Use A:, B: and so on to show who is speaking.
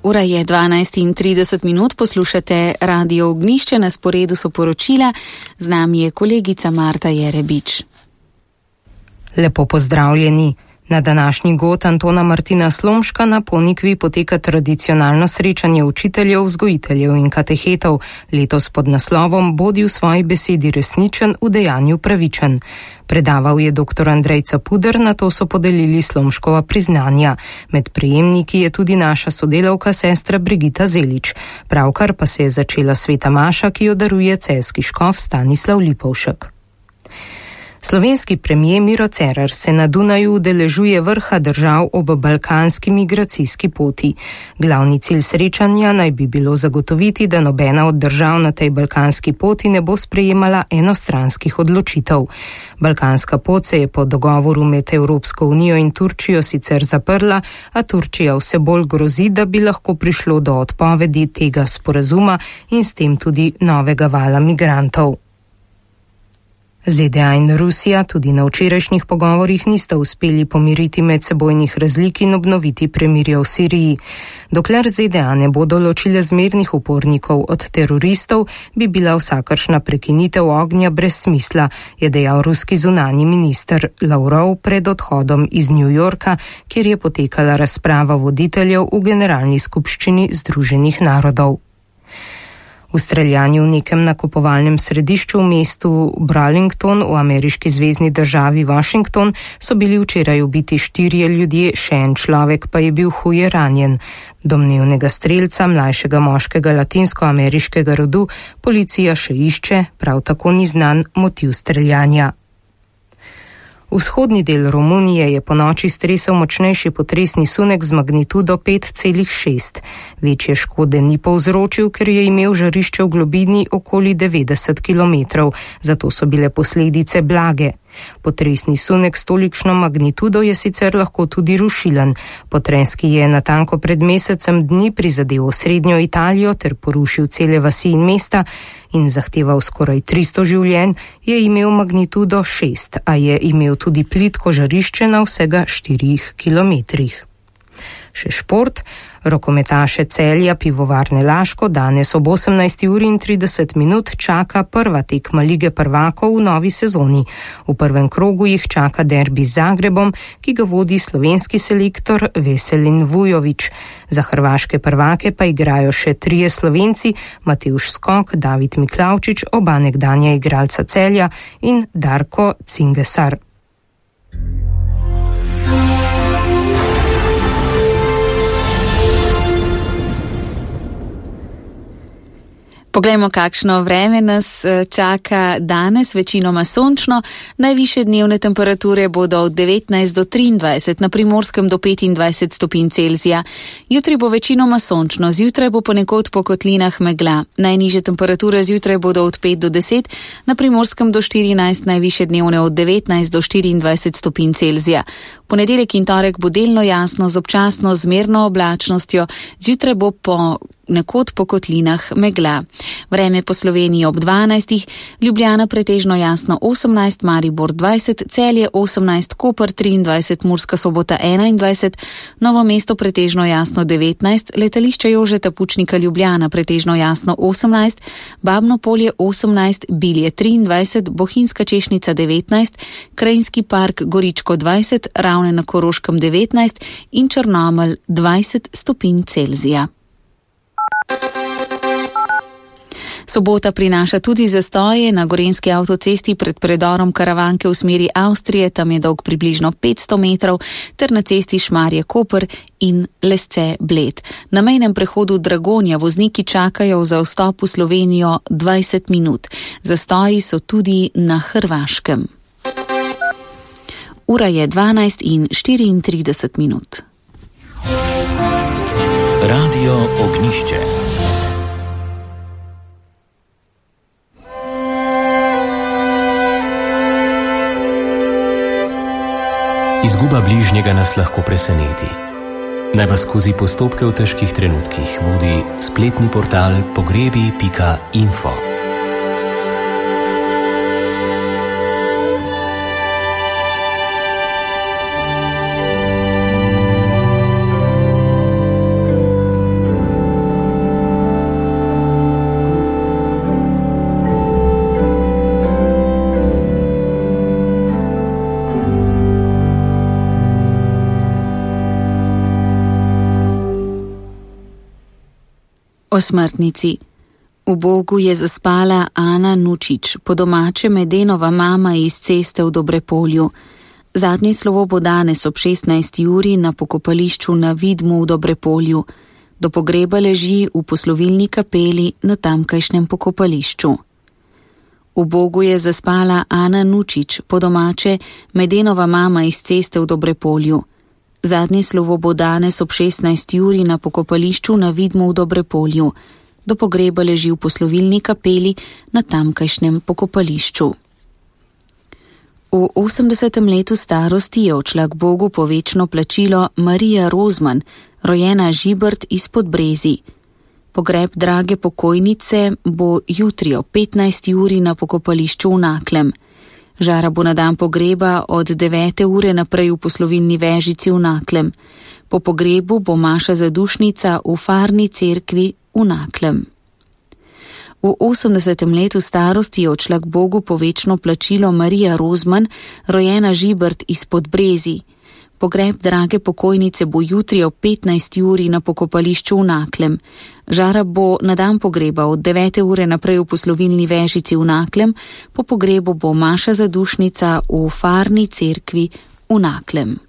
A: Ura je 12:30, poslušate Radio Ognjišče, na sporedu so poročila, z nami je kolegica Marta Jerebič.
B: Lepo pozdravljeni. Na današnji god Antona Martina Slomška na Ponikvi poteka tradicionalno srečanje učiteljev, vzgojiteljev in katehetov, letos pod naslovom Bodi v svoji besedi resničen, v dejanju pravičen. Predaval je dr. Andrej Capuder, nato so podelili Slomškova priznanja. Med prejemniki je tudi naša sodelavka sestra Brigita Zelič. Pravkar pa se je začela sveta maša, ki jo daruje celjski škof Stanislav Lipovšek. Slovenski premier Miro Cerar se na Dunaju udeležuje vrha držav ob balkanski migracijski poti. Glavni cilj srečanja naj bi bilo zagotoviti, da nobena od držav na tej balkanski poti ne bo sprejemala enostranskih odločitev. Balkanska pot se je po dogovoru med Evropsko unijo in Turčijo sicer zaprla, a Turčija vse bolj grozi, da bi lahko prišlo do odpovedi tega sporazuma in s tem tudi novega vala migrantov. ZDA in Rusija tudi na včerajšnjih pogovorih nista uspeli pomiriti medsebojnih razlik in obnoviti premirja v Siriji. Dokler ZDA ne bodo ločile zmernih upornikov od teroristov, bi bila vsakršna prekinitev ognja brez smisla, je dejal ruski zunanji minister Lavrov pred odhodom iz New Yorka, kjer je potekala razprava voditeljev v Generalni skupščini Združenih narodov. V streljanju v nekem nakupovalnem središču v mestu Burlington v ameriški zvezni državi Washington so bili včeraj ubiti 4 ljudje, še en človek pa je bil huje ranjen. Domnevnega strelca, mlajšega moškega latinskoameriškega rodu, policija še išče, prav tako ni znan motiv streljanja. Vzhodni del Romunije je ponoči stresel močnejši potresni sunek z magnitudo 5,6. Večje škode ni povzročil, ker je imel žarišče v globini okoli 90 km, zato so bile posledice blage. Potresni sunek s tolikšno magnitudo je sicer lahko tudi rušilen. Potres, ki je natanko pred mesecem dni prizadel osrednjo Italijo ter porušil cele vasi in mesta in zahteval skoraj 300 življenj, je imel magnitudo 6, a je imel tudi plitko žarišče na vsega 4 kilometrih. Še šport. Rokometaše Celja Pivovarne Laško danes ob 18:30 čaka prva tekma Lige prvakov v novi sezoni. V prvem krogu jih čaka derbi z Zagrebom, ki ga vodi slovenski selektor Veselin Vujović. Za hrvaške prvake pa igrajo še 3 Slovenci, Matevž Skok, David Miklavčič, oba nekdanja igralca Celja in Darko Cingesar.
A: Poglejmo, kakšno vreme nas čaka danes, večinoma sončno. Najvišje dnevne temperature bodo od 19 do 23, na Primorskem do 25 stopinj Celzija. Jutri bo večinoma sončno, zjutraj bo ponekod po kotlinah megla. Najnižje temperature zjutraj bodo od 5 do 10, na Primorskem do 14, najvišje dnevne od 19 do 24 stopinj Celzija. Ponedeljek in torek bo delno jasno z občasno zmerno oblačnostjo, zjutraj bo nekod po kotlinah megla. Vreme po Sloveniji ob 12, Ljubljana pretežno jasno 18, Maribor 20, Celje 18, Koper 23, Murska Sobota 21, Novo mesto pretežno jasno 19, Letališče Jožeta Pučnika Ljubljana pretežno jasno 18, Babno Polje 18, Bilje 23, Bohinjska Češnica 19, Krajinski park Goričko 20, Ravne na Koroškem 19 in Črnomelj 20 stopinj Celzija. Sobota prinaša tudi zastoje na Gorenjski avtocesti pred predorom Karavanke v smeri Avstrije, tam je dolg približno 500 metrov, ter na cesti Šmarje-Koper in Lesce-Bled. Na mejnem prehodu Dragonja vozniki čakajo za vstop v Slovenijo 20 minut. Zastoji so tudi na Hrvaškem. Ura je 12:34.
C: Radio Ognjišče. Izguba bližnjega nas lahko preseneti. Naj vas skozi postopke v težkih trenutkih vodi spletni portal pogrebi.info.
A: O smrtnici. V Bogu je zaspala Ana Nučič, po domače Medenova mama iz Ceste v Dobrepolju. Zadnje slovo bo danes ob 16. uri na pokopališču na Vidmu v Dobrepolju. Do pogreba leži v poslovilni kapeli na tamkajšnjem pokopališču. V Bogu je zaspala Ana Nučič, po domače Medenova mama iz Ceste v Dobrepolju. Zadnje slovo bo danes ob 16. uri na pokopališču na Vidmu v Dobrepolju. Do pogreba leži v poslovilni kapeli na tamkajšnjem pokopališču. V 80. letu starosti je odšla k Bogu po večno plačilo Marija Rozman, rojena Žibert iz Podbrezij. Pogreb drage pokojnice bo jutri ob 15. uri na pokopališču v Naklem. Žara bo na dan pogreba od 9. ure naprej v poslovilni vežici v Naklem. Po pogrebu bo maša zadušnica v farni cerkvi v Naklem. V 80. letu starosti je odšla k Bogu po večno plačilo Marija Rozman, rojena Žibert iz Podbrezij. Pogreb drage pokojnice bo jutri ob 15. uri na pokopališču v Naklem. Žara bo na dan pogreba od 9. ure naprej v poslovilni vežici v Naklem, po pogrebu bo maša zadušnica v farni cerkvi v Naklem.